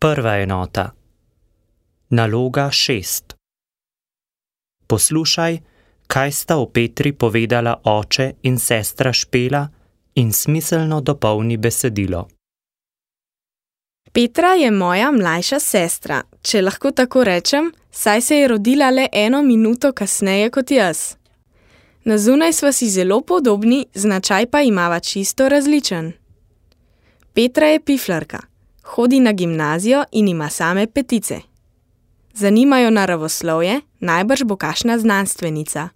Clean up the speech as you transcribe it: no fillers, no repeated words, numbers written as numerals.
Prva enota. Naloga 6. Poslušaj, kaj sta o Petri povedala oče in sestra Špela in smiselno dopolni besedilo. Petra je moja mlajša sestra, če lahko tako rečem, saj se je rodila le 1 minuto kasneje kot jaz. Na zunaj sva si zelo podobni, značaj pa imava čisto različen. Petra je piflarka, hodi na gimnazijo in ima same 5. Zanimajo naravoslovje, najbrž bo kakšna znanstvenica.